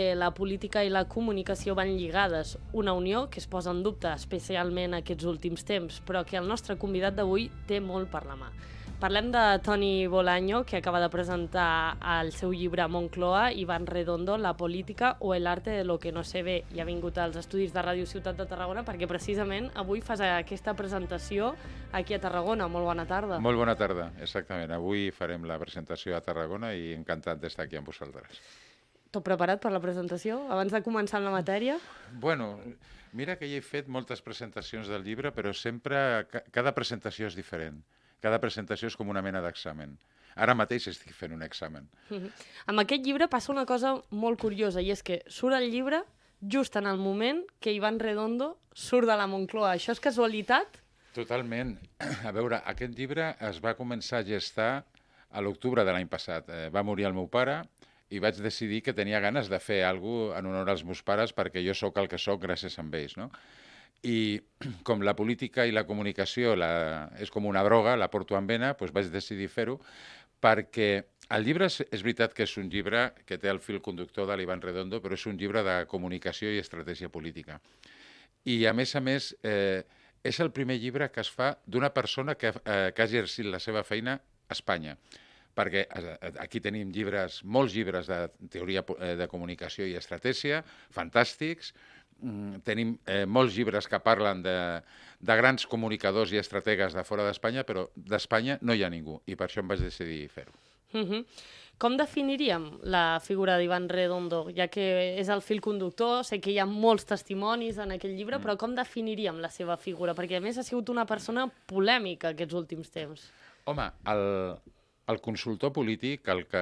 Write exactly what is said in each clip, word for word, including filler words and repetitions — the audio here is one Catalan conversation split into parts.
que la política i la comunicació van lligades, una unió que es posa en dubte especialment aquests últims temps, però que el nostre convidat d'avui té molt per la mà. Parlem de Toni Bolaño, que acaba de presentar el seu llibre Moncloa, Iván Redondo, La política o el arte de lo que no se ve. I ha vingut als estudis de Ràdio Ciutat de Tarragona perquè precisament avui fas aquesta presentació aquí a Tarragona. Molt bona tarda. Molt bona tarda, exactament. Avui farem la presentació a Tarragona i encantat d'estar aquí amb vosaltres. Tot preparat per la presentació? Abans de començar amb la matèria? Bueno, mira que ja he fet moltes presentacions del llibre, però sempre, cada presentació és diferent. Cada presentació és com una mena d'examen. Ara mateix estic fent un examen. Mm-hmm. Amb aquest llibre passa una cosa molt curiosa, i és que surt el llibre just en el moment que Iván Redondo surt de la Moncloa. Això és casualitat? Totalment. A veure, aquest llibre es va començar a gestar a l'octubre de l'any passat. Eh, va morir el meu pare i vaig decidir que tenia ganes de fer alguna cosa en honor als meus pares perquè jo sóc el que sóc gràcies a ells, no? I com la política i la comunicació la, és com una droga, la porto en vena, doncs vaig decidir fer-ho, perquè el llibre és, és veritat que és un llibre que té el fil conductor de l'Iván Redondo, però és un llibre de comunicació i estratègia política. I, a més a més, eh, és el primer llibre que es fa d'una persona que, eh, que ha exercit la seva feina a Espanya. Perquè aquí tenim llibres, molts llibres de teoria de comunicació i estratègia, fantàstics. Tenim eh, molts llibres que parlen de, de grans comunicadors i estrategues de fora d'Espanya, però d'Espanya no hi ha ningú, i per això em vaig decidir fer-ho. Mm-hmm. Com definiríem la figura d'Iván Redondo, ja que és el fil conductor? Sé que hi ha molts testimonis en aquest llibre, mm. però com definiríem la seva figura? Perquè, a més, ha sigut una persona polèmica aquests últims temps. Home, el... El consultor polític, el que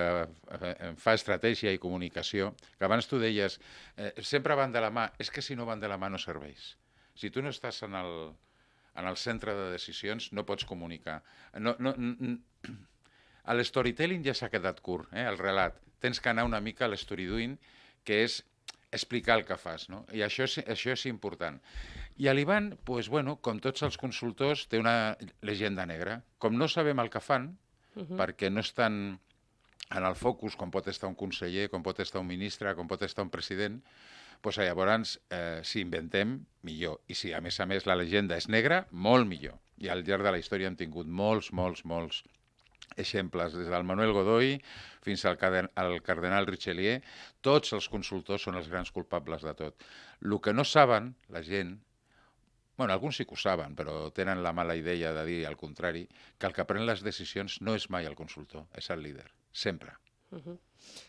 fa estratègia i comunicació, que abans tu deies, eh, sempre van de la mà, és que si no van de la mà no serveix. Si tu no estàs en el, en el centre de decisions, no pots comunicar. No, no, L'storytelling ja s'ha quedat curt, eh, el relat. Tens que anar una mica a l'storydoing, que és explicar el que fas, no? I això és, això és important. I l'Ivan, pues, bueno, com tots els consultors, té una llegenda negra. Com no sabem el que fan, Uh-huh. perquè no estan en el focus com pot estar un conseller, com pot estar un ministre, com pot estar un president, doncs llavors, eh, si inventem, millor. I si, a més a més, la llegenda és negra, molt millor. I al llarg de la història hem tingut molts, molts, molts exemples, des del Manuel Godoy fins al, al cardenal Richelieu. Tots els consultors són els grans culpables de tot. El que no saben, la gent, bueno, alguns sí que ho saben, però tenen la mala idea de dir al contrari, que el que pren les decisions no és mai el consultor, és el líder, sempre. Uh-huh.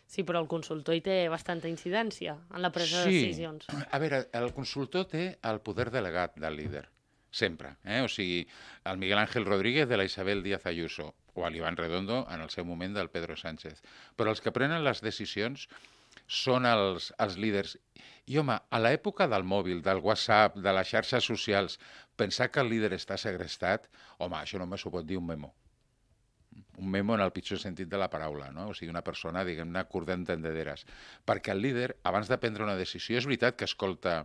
Sí, però el consultor hi té bastanta incidència en la presa sí. de decisions. A veure, el consultor té el poder delegat del líder, sempre. Eh? O sigui, el Miguel Ángel Rodríguez de la Isabel Díaz Ayuso, o l'Iván Redondo en el seu moment del Pedro Sánchez. Però els que prenen les decisions són els, els líders. I, home, a l'època del mòbil, del WhatsApp, de les xarxes socials, pensar que el líder està segrestat, home, això només ho pot dir un memo. Un memo en el pitjor sentit de la paraula, no? O sigui, una persona, diguem-ne, curta d'entendederes. Perquè el líder, abans de prendre una decisió, és veritat que escolta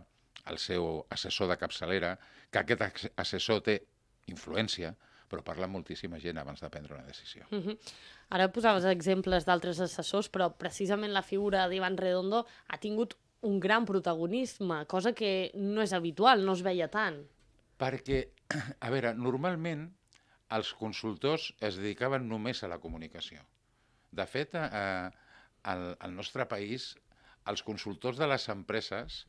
el seu assessor de capçalera, que aquest assessor té influència, però parla moltíssima gent abans de prendre una decisió. Uh-huh. Ara posaves exemples d'altres assessors, però precisament la figura d'Iván Redondo ha tingut un gran protagonisme, cosa que no és habitual, no es veia tant. Perquè, a veure, normalment els consultors es dedicaven només a la comunicació. De fet, eh, al, al nostre país, als consultors de les empreses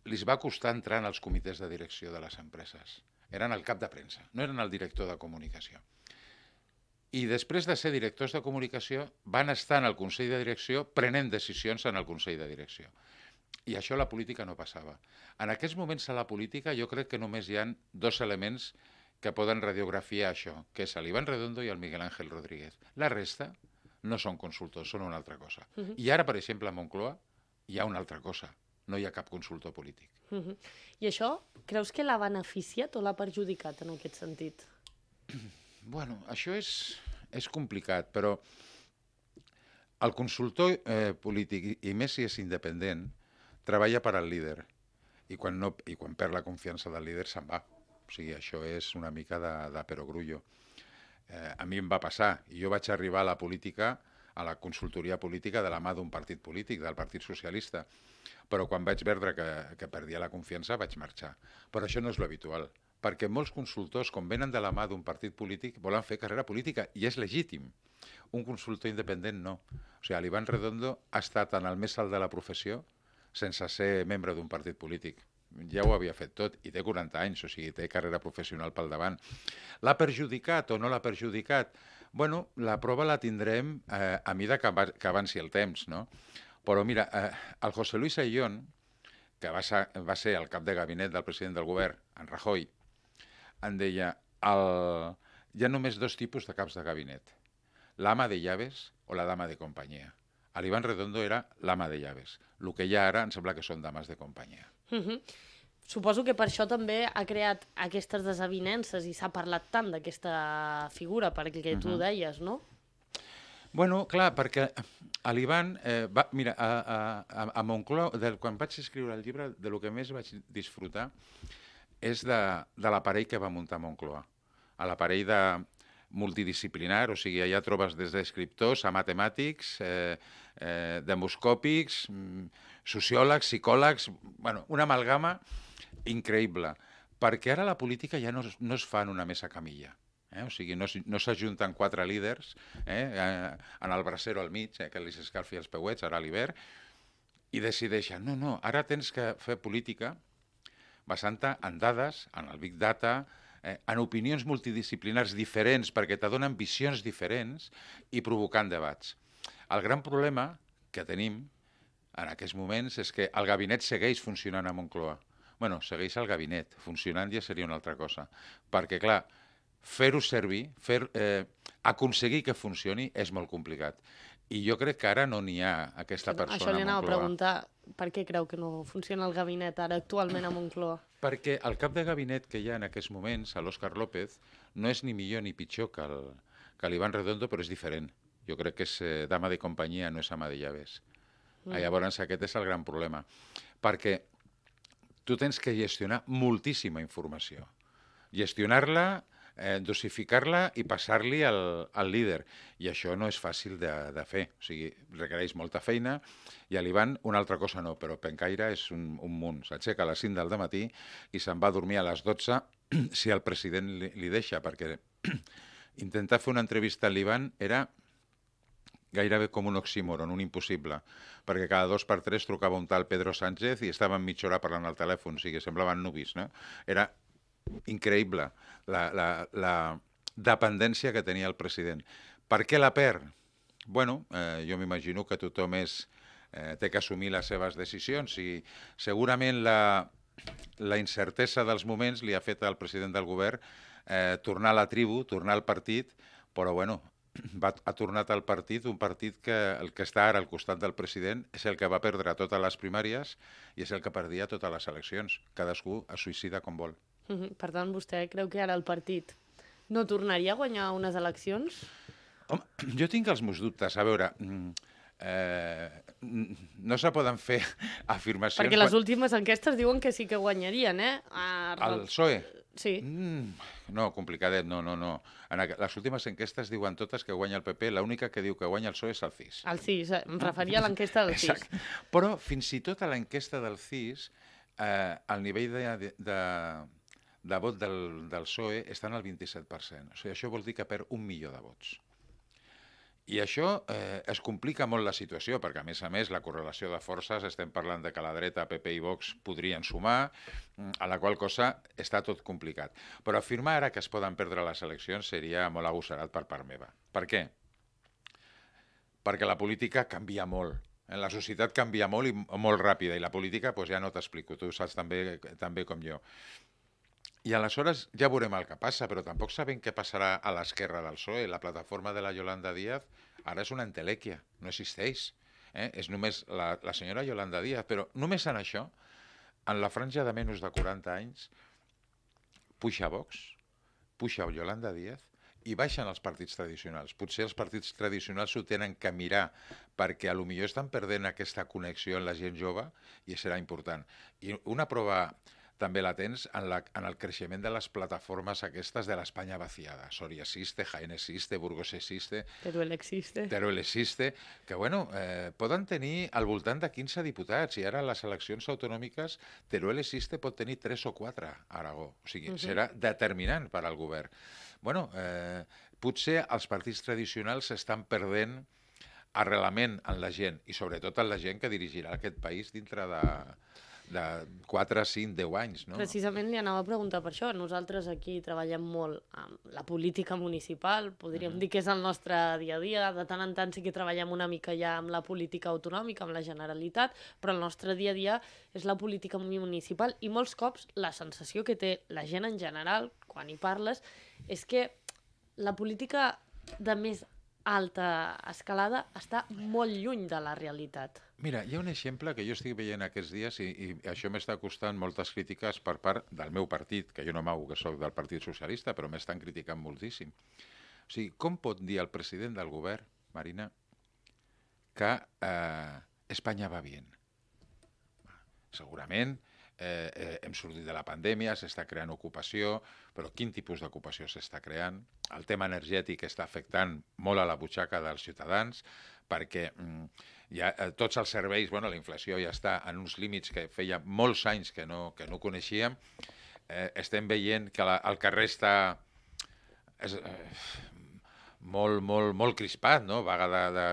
li va costar entrar en els comitès de direcció de les empreses. Eren el cap de premsa, no eren el director de comunicació. I després de ser directors de comunicació van estar en el Consell de Direcció prenent decisions en el Consell de Direcció. I això a la política no passava. En aquests moments a la política jo crec que només hi ha dos elements que poden radiografiar això, que és l'Iván Redondo i el Miguel Ángel Rodríguez. La resta no són consultors, són una altra cosa. Uh-huh. I ara, per exemple, a Moncloa hi ha una altra cosa. No hi ha cap consultor polític. Uh-huh. I això, creus que l'ha beneficiat o l'ha perjudicat en aquest sentit? Bueno, això és, és complicat, però el consultor eh, polític, i més si és independent, treballa per al líder. I quan, no, i quan perd la confiança del líder se'n va. O sigui, això és una mica de, de perogrullo. Eh, a mi em va passar. Jo vaig arribar a la política a la consultoria política de la mà d'un partit polític, del Partit Socialista. Però quan vaig veure que, que perdia la confiança vaig marxar. Però això no és l'habitual, perquè molts consultors, com venen de la mà d'un partit polític, volen fer carrera política, i és legítim. Un consultor independent no. O sigui, l'Ivan Redondo ha estat en el més alt de la professió sense ser membre d'un partit polític. Ja ho havia fet tot, i té quaranta anys, o sigui, té carrera professional pel davant. L'ha perjudicat o no l'ha perjudicat? Bueno, la prova la tindrem eh, a mida que, que avanci el temps, no? Però mira, eh, el José Luis Ayllón, que va ser, va ser el cap de gabinet del president del govern, en Rajoy, en deia, el... hi ha només dos tipus de caps de gabinet, l'ama de llaves o la dama de companyia. L'Ivan Redondo era l'ama de llaves. El que hi ha ara em sembla que són dames de companyia. Uh-huh. Suposo que per això també ha creat aquestes desavinences i s'ha parlat tant d'aquesta figura, perquè tu uh-huh. deies, no? Bueno, clar, perquè l'Ivan... Eh, va, mira, a, a, a Moncloa, de, quan vaig escriure el llibre, de lo que més vaig disfrutar és de, de l'aparell que va muntar Moncloa. A l'aparell de multidisciplinar, o sigui, allà trobes des d'escriptors a matemàtics, eh, eh, demoscòpics, sociòlegs, psicòlegs, bueno, una amalgama increïble, perquè ara la política ja no, no es fa en una mesa camilla. Eh? O sigui, no, no s'ajunten quatre líders eh? en el bracero al mig, eh? que li s'escalfi els peuets, ara a l'hivern, i decideixen, no, no, ara tens que fer política basant-te en dades, en el Big Data, eh, en opinions multidisciplinars diferents perquè te donen visions diferents i provocant debats. El gran problema que tenim en aquests moments és que el gabinet segueix funcionant a Moncloa. Bueno, segueix el gabinet, funcionant ja seria una altra cosa. Perquè, clar, fer-ho servir, fer, eh, aconseguir que funcioni és molt complicat. I jo crec que ara no n'hi ha aquesta persona a Moncloa. Això li anava a preguntar, per què creu que no funciona el gabinet ara actualment a Moncloa? Perquè el cap de gabinet que hi ha en aquests moments, l'Òscar López, no és ni millor ni pitjor que el, que l'Ivan Redondo, però és diferent. Jo crec que és eh, dama de companyia, no és ama de llaves. Mm. Llavors aquest és el gran problema. Perquè tu tens que gestionar moltíssima informació. Gestionar-la, eh, dosificar-la i passar-li al, al líder. I això no és fàcil de, de fer. O sigui, requereix molta feina. I a l'Ivan una altra cosa no, però Pencaire és un, un munt. S'aixeca a les cinc del dematí i se'n va a dormir a les dotze si el president li, li deixa, perquè intentar fer una entrevista a l'Ivan era gairebé com un oxímoron, un impossible, perquè cada dos per tres trucava un tal Pedro Sánchez i estaven mitja hora parlant al telèfon, o sigui, semblaven nuvis, no? Era increïble la, la, la dependència que tenia el president. Per què la perd? Bueno, eh, jo m'imagino que tothom és, eh, té que assumir les seves decisions i segurament la, la incertesa dels moments li ha fet al president del govern eh, tornar a la tribu, tornar al partit, però bueno, va, ha tornat al partit, un partit que el que està ara al costat del president és el que va perdre totes les primàries i és el que perdia totes les eleccions. Cadascú es suïcida com vol. Mm-hmm. Per tant, vostè creu que ara el partit no tornaria a guanyar unes eleccions? Home, jo tinc els meus dubtes. A veure, eh, no se poden fer afirmacions... Perquè les últimes enquestes diuen que sí que guanyarien, eh? A... El P S O E? Sí. Mm, no, complicadet, no, no, no. En les últimes enquestes diuen totes que guanya el P P, l'única que diu que guanya el P S O E és el C I S. El C I S, em referia a l'enquesta del C I S. Exacte. Però fins i tot a l'enquesta del C I S, eh, el nivell de, de, de, de vot del, del P S O E està en el vint-i-set per cent. O sigui, això vol dir que perd un milió de vots. I això eh, es complica molt la situació, perquè a més a més la correlació de forces, estem parlant de que la dreta, P P i Vox podrien sumar, a la qual cosa està tot complicat. Però afirmar ara que es poden perdre les eleccions seria molt agosserat per part meva. Per què? Perquè la política canvia molt. La societat canvia molt i molt ràpida, i la política doncs, ja no t'explico, tu saps també, també com jo. I aleshores ja veurem el que passa, però tampoc sabem què passarà a l'esquerra del P S O E. La plataforma de la Yolanda Díaz ara és una entelèquia, no existeix. Eh? És només la, la senyora Yolanda Díaz, però només en això, en la franja de menys de quaranta anys, puja Vox, puja Yolanda Díaz i baixen els partits tradicionals. Potser els partits tradicionals s'ho tenen que mirar perquè a lo millor estan perdent aquesta connexió amb la gent jove i serà important. I una prova també la tens en, la, en el creixement de les plataformes aquestes de l'Espanya vaciada. Soria existe, Jaén existe, Burgos existe... Teruel existe. Teruel existe, que bueno, eh, poden tenir al voltant de quinze diputats, i ara a les eleccions autonòmiques Teruel existe pot tenir tres o quatre a Aragó. O sigui, uh -huh. serà determinant per al govern. Bueno, eh, potser els partits tradicionals estan perdent arrelament en la gent, i sobretot en la gent que dirigirà aquest país dintre de, de quatre, cinc, deu anys. No? Precisament li anava a preguntar per això. Nosaltres aquí treballem molt amb la política municipal, podríem uh -huh. dir que és el nostre dia a dia. De tant en tant sí que treballem una mica ja amb la política autonòmica, amb la Generalitat, però el nostre dia a dia és la política municipal, i molts cops la sensació que té la gent en general, quan hi parles, és que la política de més alta escalada està molt lluny de la realitat. Mira, hi ha un exemple que jo estic veient aquests dies, i, i això m'està costant moltes crítiques per part del meu partit, que jo no m'hago, que soc del Partit Socialista, però m'estan criticant moltíssim. O sigui, com pot dir el president del govern, Marina, que eh, Espanya va bé? Segurament eh, eh, hem sortit de la pandèmia, s'està creant ocupació, però quin tipus d'ocupació s'està creant? El tema energètic està afectant molt a la butxaca dels ciutadans, perquè mm, ja, eh, tots els serveis, bueno, la inflació ja està en uns límits que feia molts anys que no, que no coneixíem. Eh, estem veient que la, el carrer està és, eh, molt, molt, molt crispat, no? Vaga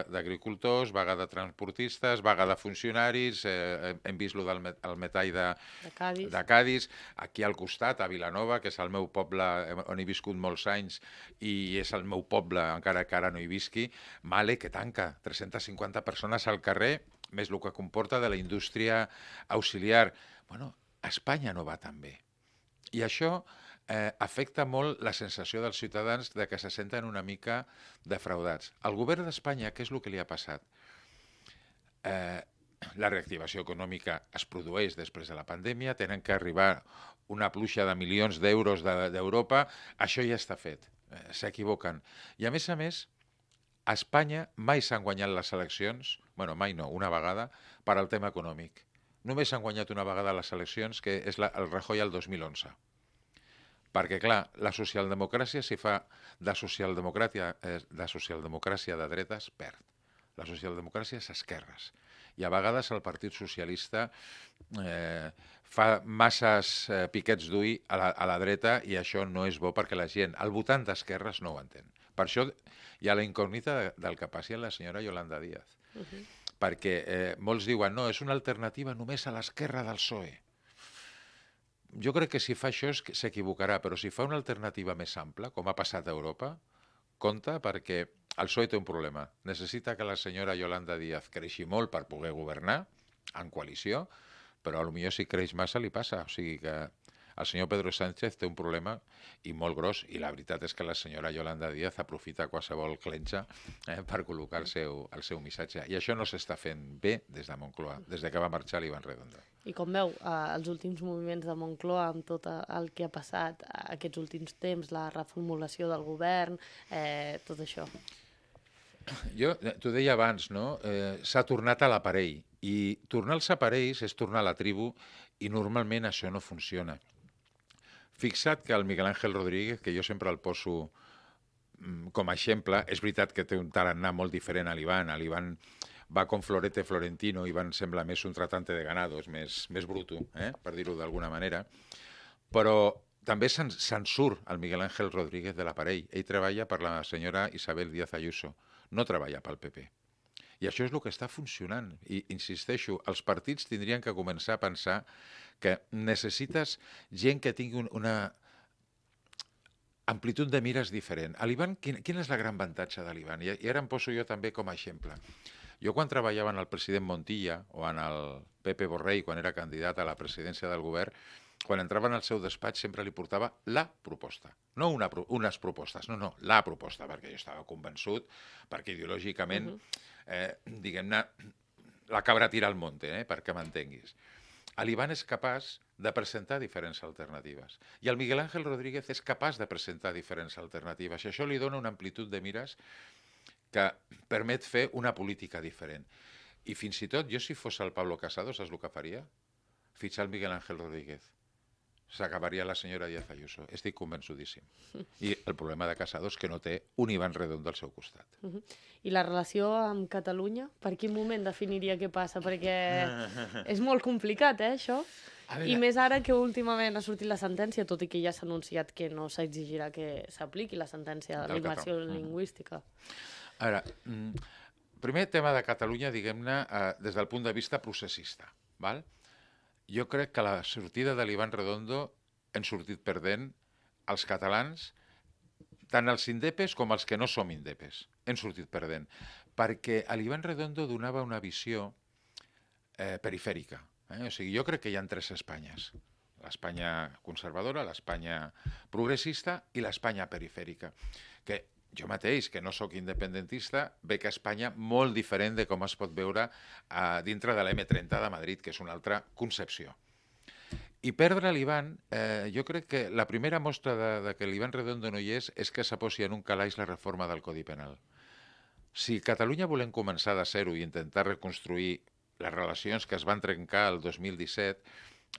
d'agricultors, vaga de transportistes, vaga de funcionaris, eh, hem vist lo del met, el metall de, de, Cádiz. de Cádiz, aquí al costat, a Vilanova, que és el meu poble on he viscut molts anys i és el meu poble, encara que ara no hi visqui, Male, que tanca, tres-centes cinquanta persones al carrer, més el que comporta de la indústria auxiliar. Bueno, Espanya no va tan bé. I això eh, afecta molt la sensació dels ciutadans de que se senten una mica defraudats. Al govern d'Espanya, què és el que li ha passat? Eh, la reactivació econòmica es produeix després de la pandèmia, tenen que arribar una pluja de milions d'euros d'Europa, això ja està fet, eh, s'equivoquen. I a més a més, a Espanya mai s'han guanyat les eleccions, bueno, mai no, una vegada, per al tema econòmic. Només s'han guanyat una vegada les eleccions, que és la, el Rajoy el dos mil onze. Perquè, clar, la socialdemocràcia, si fa de socialdemocràcia, eh, de socialdemocràcia de dretes, perd. La socialdemocràcia és esquerres. I a vegades el Partit Socialista eh, fa masses eh, piquets d'ull a, la, a la dreta, i això no és bo perquè la gent, el votant d'esquerres, no ho entén. Per això hi ha la incògnita de, del que passi a la senyora Yolanda Díaz. Uh -huh. Perquè eh, molts diuen, no, és una alternativa només a l'esquerra del P S O E. Jo crec que si fa això s'equivocarà, però si fa una alternativa més ampla, com ha passat a Europa, compte, perquè el P S O E té un problema. Necessita que la senyora Yolanda Díaz creixi molt per poder governar en coalició, però potser si creix massa li passa. O sigui que el senyor Pedro Sánchez té un problema i molt gros, i la veritat és que la senyora Yolanda Díaz aprofita qualsevol clenxa eh, per col·locar el seu, el seu missatge. I això no s'està fent bé des de Moncloa, des de que va marxar l'Ivan Redondo. I com veu, eh, els últims moviments de Moncloa, amb tot el que ha passat aquests últims temps, la reformulació del govern, eh, tot això? Jo, t'ho deia abans, no? Eh, s'ha tornat a l'aparell, i tornar als aparells és tornar a la tribu, i normalment això no funciona. Fixa't que el Miguel Ángel Rodríguez, que jo sempre el poso com a exemple, és veritat que té un tarannà molt diferent a l'Ivan. L'Ivan va com Florete Florentino, Ivan sembla més un tratante de ganado, és més, més bruto, eh? per dir-ho d'alguna manera. Però també se'n se surt el Miguel Ángel Rodríguez de l'aparell. Ell treballa per la senyora Isabel Díaz Ayuso, no treballa pel P P. I això és el que està funcionant. I insisteixo, els partits tindrien que començar a pensar que necessites gent que tingui una amplitud de mires diferent. A l'Ivan, quin, quin és el gran avantatge de l'Ivan? I, I ara em poso jo també com a exemple. Jo quan treballava en el president Montilla o en el Pepe Borrell, quan era candidat a la presidència del govern, quan entrava al seu despatx sempre li portava la proposta. No una, unes propostes, no, no, la proposta, perquè jo estava convençut, perquè ideològicament, uh-huh. eh, diguem-ne, la cabra tira al monte, eh, perquè m'entenguis. L'Ivan és capaç de presentar diferents alternatives. I el Miguel Ángel Rodríguez és capaç de presentar diferents alternatives. I això li dona una amplitud de mires que permet fer una política diferent. I fins i tot, jo si fos el Pablo Casado, saps el que faria? Fitxar el Miguel Ángel Rodríguez. s'acabaria la senyora Díaz Ayuso. Estic convençudíssim. I el problema de Casado és que no té un Iván Redondo al seu costat. Uh -huh. I la relació amb Catalunya? Per quin moment definiria què passa? Perquè és molt complicat, eh, això? I més ara que últimament ha sortit la sentència, tot i que ja s'ha anunciat que no s'exigirà que s'apliqui la sentència de l'immersió lingüística. Ara, primer tema de Catalunya, diguem-ne, eh, des del punt de vista processista, val? Jo crec que la sortida de l'Iván Redondo hem sortit perdent els catalans, tant els indepes com els que no som indepes. Hem sortit perdent. Perquè l'Iván Redondo donava una visió eh, perifèrica. Eh? O sigui, jo crec que hi ha tres Espanyes. L'Espanya conservadora, l'Espanya progressista i l'Espanya perifèrica. Que jo mateix, que no sóc independentista, veig a Espanya molt diferent de com es pot veure eh, dintre de l'M trenta de Madrid, que és una altra concepció. I perdre l'Iván, eh, jo crec que la primera mostra de, de que l'Iván Redondo no hi és és que s'aposi en un calaix la reforma del Codi Penal. Si Catalunya volem començar de zero i intentar reconstruir les relacions que es van trencar el dos mil disset,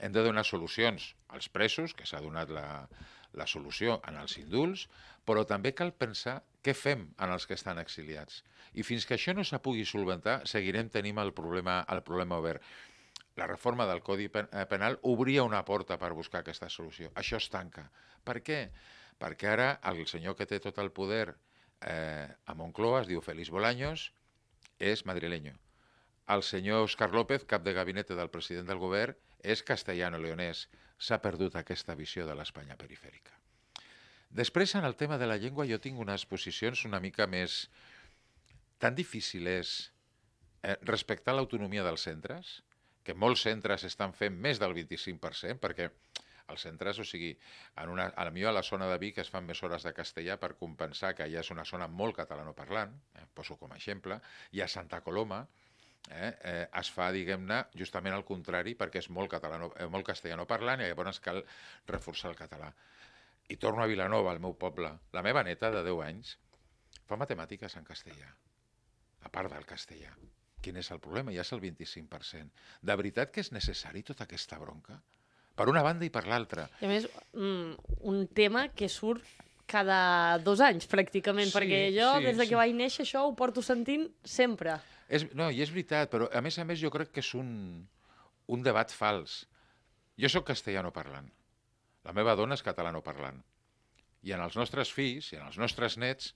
hem de donar solucions als presos, que s'ha donat la, la solució en els indults, però també cal pensar què fem en els que estan exiliats. I fins que això no se pugui solventar, seguirem tenint el problema, el problema obert. La reforma del Codi Penal obria una porta per buscar aquesta solució. Això es tanca. Per què? Perquè ara el senyor que té tot el poder eh, a Moncloa, es diu Félix Bolaños, és madrileño. El senyor Óscar López, cap de gabinet del president del govern, és castellano-leonès. S'ha perdut aquesta visió de l'Espanya perifèrica. Després, en el tema de la llengua, jo tinc unes posicions una mica més... Tan difícil és eh, respectar l'autonomia dels centres, que molts centres estan fent més del vint-i-cinc per cent, perquè els centres, o sigui, en una, a la millor a la zona de Vic es fan més hores de castellà per compensar que allà és una zona molt catalanoparlant, eh, poso com a exemple, i a Santa Coloma eh, eh, es fa, diguem-ne, justament al contrari, perquè és molt, catalano, eh, molt castellanoparlant i llavors cal reforçar el català. I torno a Vilanova, al meu poble. La meva neta, de deu anys, fa matemàtiques en castellà, a part del castellà. Quin és el problema? Ja és el vint-i-cinc per cent. De veritat que és necessari tota aquesta bronca? Per una banda i per l'altra. I a més, un tema que surt cada dos anys, pràcticament, sí, perquè jo, sí, des de que sí. vaig néixer, això ho porto sentint sempre. És, no, i és veritat, però a més a més jo crec que és un, un debat fals. Jo sóc castellano-parlant. La meva dona és catalano-parlant. I en els nostres fills i en els nostres nets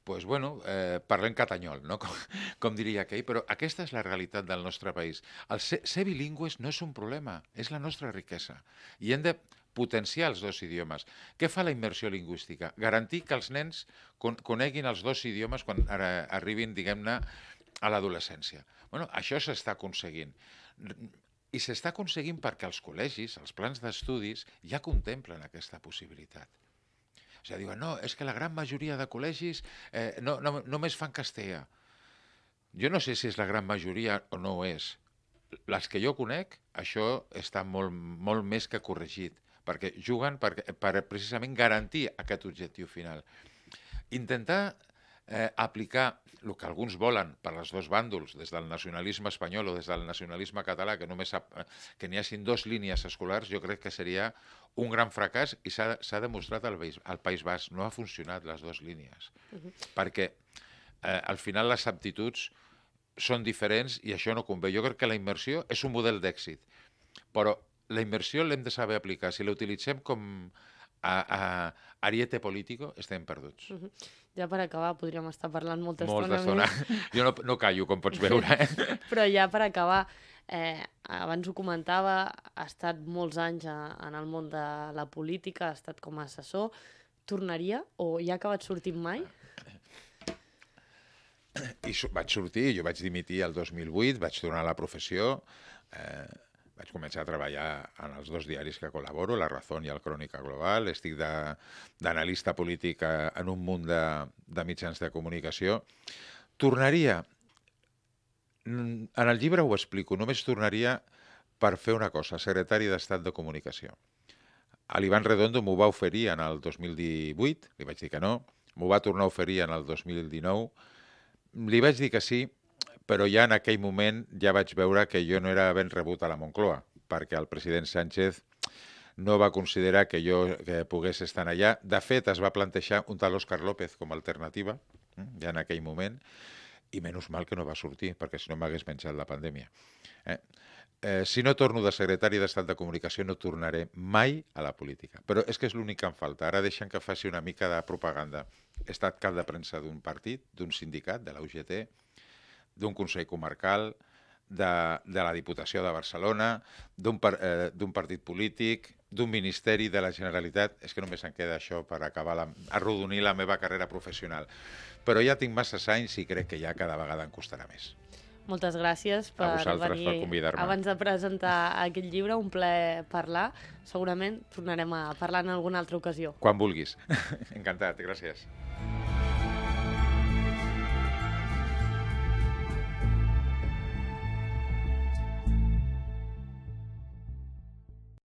pues bueno, eh, parlem catanyol, no? com, com diria aquell, però aquesta és la realitat del nostre país. El ser, ser bilingües no és un problema, és la nostra riquesa. I hem de potenciar els dos idiomes. Què fa la immersió lingüística? Garantir que els nens con coneguin els dos idiomes quan ara arribin, diguem-ne, a l'adolescència. Bueno, això s'està aconseguint. I s'està aconseguint perquè els col·legis, els plans d'estudis, ja contemplen aquesta possibilitat. O sigui, diuen, no, és que la gran majoria de col·legis eh, no, no, només fan castellà. Jo no sé si és la gran majoria o no ho és. Les que jo conec, això està molt, molt més que corregit, perquè juguen per, per precisament garantir aquest objectiu final. Intentar eh, aplicar el que alguns volen per als dos bàndols, des del nacionalisme espanyol o des del nacionalisme català, que només sap, que n'hi hagin dues línies escolars, jo crec que seria un gran fracàs i s'ha demostrat al País, al País Basc. No ha funcionat les dues línies, uh-huh. perquè eh, al final les aptituds són diferents i això no convé. Jo crec que la immersió és un model d'èxit, però la immersió l'hem de saber aplicar. Si la utilitzem com a, a ariete político, estem perduts. Uh-huh. Ja per acabar, podríem estar parlant molta Molta estona. estona. Jo no, no callo, com pots veure. Eh? Però ja per acabar, eh, abans ho comentava, ha estat molts anys a, en el món de la política, ha estat com a assessor. Tornaria o ja ha acabat sortint mai? I vaig sortir, jo vaig dimitir el dos mil vuit, vaig tornar a la professió, eh, vaig començar a treballar en els dos diaris que col·laboro, La Razón i el Crònica Global, estic d'analista polític en un munt de, de mitjans de comunicació. Tornaria, en el llibre ho explico, només tornaria per fer una cosa, secretari d'Estat de Comunicació. L'Iván Redondo m'ho va oferir en el dos mil divuit, li vaig dir que no, m'ho va tornar a oferir en el dos mil dinou, li vaig dir que sí, però ja en aquell moment ja vaig veure que jo no era ben rebut a la Moncloa, perquè el president Sánchez no va considerar que jo que pogués estar allà. De fet, es va plantejar un tal Òscar López com a alternativa, eh, ja en aquell moment, i menys mal que no va sortir, perquè si no m'hagués menjat la pandèmia. Eh? Eh, si no torno de secretari d'Estat de Comunicació no tornaré mai a la política. Però és que és l'únic que em falta. Ara deixen que faci una mica de propaganda. He estat cap de premsa d'un partit, d'un sindicat, de la U G T, d'un Consell Comarcal, de, de la Diputació de Barcelona, d'un par, eh, d'un partit polític, d'un ministeri de la Generalitat. És que només em queda això per acabar la, arrodonir la meva carrera professional. Però ja tinc masses anys i crec que ja cada vegada em costarà més. Moltes gràcies per venir per convidar-me. abans de presentar aquest llibre, un plaer parlar. Segurament tornarem a parlar en alguna altra ocasió. Quan vulguis. Encantat, gràcies.